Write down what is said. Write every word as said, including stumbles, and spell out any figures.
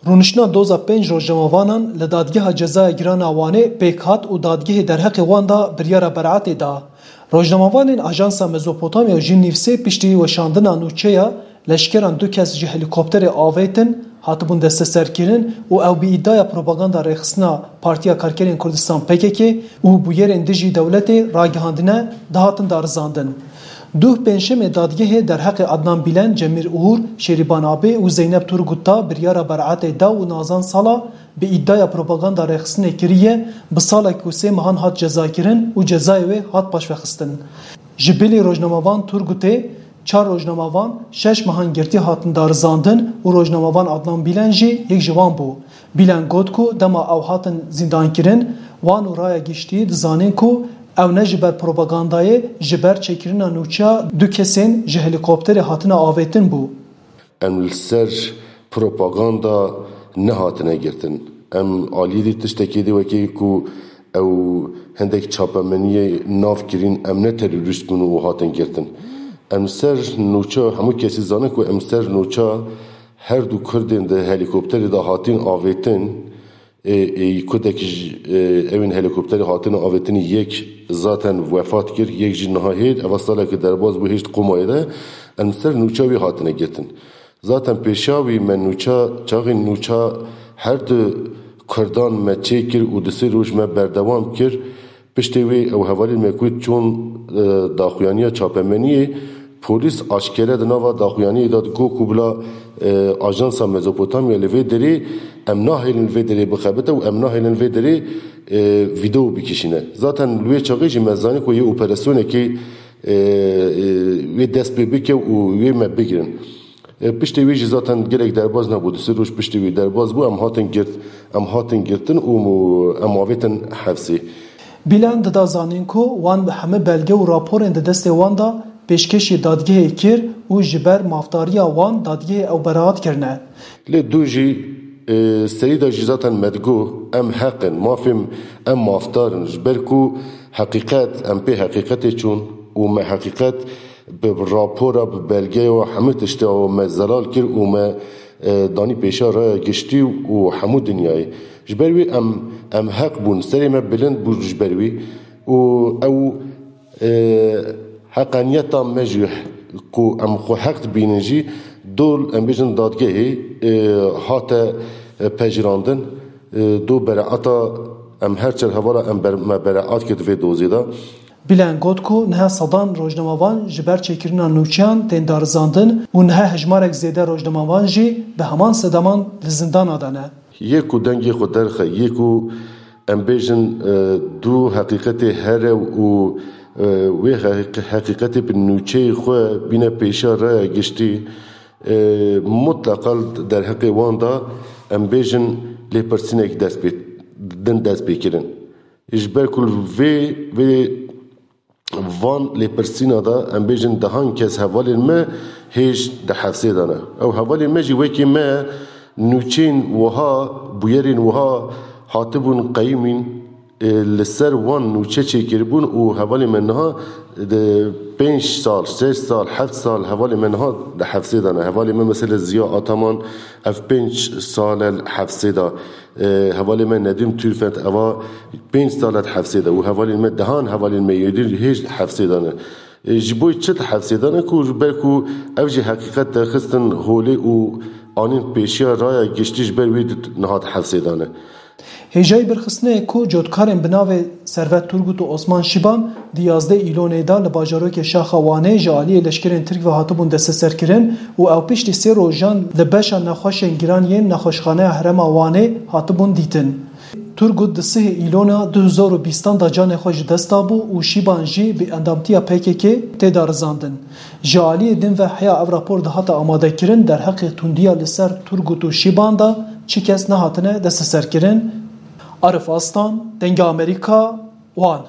Rûniştina doza pênc rojnamavanan li Dadgeha Cezaya Giran a Wanê pêk hat û dadgehê derheqê wan de biryara beraetê da. Rojnamavanên Ajansa Mezopotamya û Jîn Nîvsê piştî weşandina nûçeya leşkeran du kes ji helîkopterê avêtin, hatibûn desteserkirin û ew bi îdiaya propaganda rêxistina Partiya Karkerên Kurdistan P K K û bûyerên dijî dewletê ragihandine, dihatin darizandin. Duh pêncşemê dadgehê derheqê Adnan Bîlen, Cemîl Uğur, Şêrîban Abê û Zeynep Turgut da biryara beraetê da û Nazan Sala bi îdiaya propaganda rêxistinê kiriye, bi salek û sê mehan hat cezakirin û cezayê wê hat paşvexistin. Ji bilî rojnamevan Turgutê, çar rojnamevan şeş mehan girtî hatin darizandin û rojnamevan Adnan Bîlen jî yek ji wan bû. Bîlen got ku dema ew hatin zîndankirin, wan û raya giştî dizanîn ku ew ne ji ber propagandayê, ji ber çêkirina nûçeya du kesên ji helîkopterê hatine avêtin bû. Em li ser propaganda nehatine girtin. Em aliyê dî tiştekê dî wekî ku ew hindek çapemeniyê nav kirîn, em ne terorîst bûn û hatin girtin. Em ser nûça, hemû kesî zane ku em ser nûça her du Kurdên di helîkopterê de hatin avêtin, ê, ê, Kurdek ji, ê, ewên helîkopterê hatine avêtinî yek zaten wefat kir, yek jî niha hêt, eva saleke derbas bû hêşt Qomayê de, em ser nûça wî hatine girtin. Zaten pêşa wî me nûça, çaxên nûça her du Kurdan me çêkir û du sê roj me berdewam kir. Piştê wê ew hevalên me ku çûn, e, daxuyaniya çapemeniyê, polîs aşkere di nava daxuyaniyê de digot ku bila, e, Ajansa Mezopotamya li vê derê, em nahêlin li vê derê bixebite û em nahêlin li vê derê, e, vîdeo bikişîne. Zaten li wê çaxê jî me zanî ku yê operasyonekê, e, e, wê dest pê bike û wê me bigirin. E, piştê wî jî zaten gelek derbas nebû. Du sê roj piştê wî derbas bû, em hatin girt, em hatin girtin û em avêtin hefsê. Bîlen dida zanîn ku wan bi hemî belge û raporên di destê wan de pêşkêşî dadgehê kir û ji ber mafdariya wan dadgehê ew beraat kirine. Lê du jî, e, serî de jî zaten me digot, em heq in, mafê em mafdar in, ji ber ku heqîqet, em pê heqîqetê çûn û me heqîqet bi rapora, bi belgeya, hemû tişta me zelal kir û me, e, danî pêşa raya giştî û hemû dinyayê. Ji ber wî em, em heq bûn, serê me bilind bû ji ber wî û ew, e, heqaniyeta me jî ku em xwe heq dibînin jî dol, em bêjin dadgehê, e, hate, e, pejirandin, e, do bereata em her çar hevala em ber-, me bereat kir di vê dozê de. Bîlen got ku niha sedan rojnamevan ji ber çêkirina nûçeyan tên darizandin û niha hejmarek zêde rojnamevan jî bi heman sedeman li zindana de ne. Yê ku dengê xwe derxe, yê ku em bêjin, e, du heqîqetê here û, e, wê heq-, heqîqetê bi nûçeyê xwe bîne pêşiya raya giştî, e, mutleqa derheqê wan de em bêjin lêpirsînek dest pê, din dest pê kirin. Ji ber ku li vê, vê van lêpirsîna de, em bêjin, dehan kes hevalên me hêj di hefsê de ne. Ew hevalên me jî wekî me nûçeyên wiha, bûyerên wiha hatibûn qeyimîn, e, li ser wan nûçe çêkiribûn û hevalên me niha di pênc sal, şeş sal, heft sal hevalên me niha di hefsê de ne. Hevalê me mesela Ziya Ataman ev pênc sal e li hefsê de. E, hevalê me Nedîm Tûlfet eva pênc sal e di hefsê de û hevalên me, dehan hevalên me yê din hêj di hefsê de ne. E, ji bo çi di hefsê de ne ku ji ber ku ev jî heqîqet derxistin holê û anîn pêşiya raya giştî ji ber wî di, niha di hefsê de ne. Hêjayî birxistinê ye ku cotkarên bi navê Servet Turgut û Osman Şiban di yazdeh Îlonê de li bajarokê Şaxa Wanê ji aliyê leşkerên Tirk ve hatibûn desteserkirin û ew piştî sê rojan li beşa nexweşên giran yên nexweşxaneya Herêma Wanê hatibûn dîtin. Turgut di sihê Îlona du hezar û bîstan de canê xwe ji dest dabû û Şîban jî bi endamtiya P K K tê darizandin. Ji aliyê din ve heya ev rapor dihate amadekirin, derheqê tundiya li ser Turgut û Şîban de çi kes nehatine desteserkirin. Arif Aslan, Dengê Amerîka, Wan.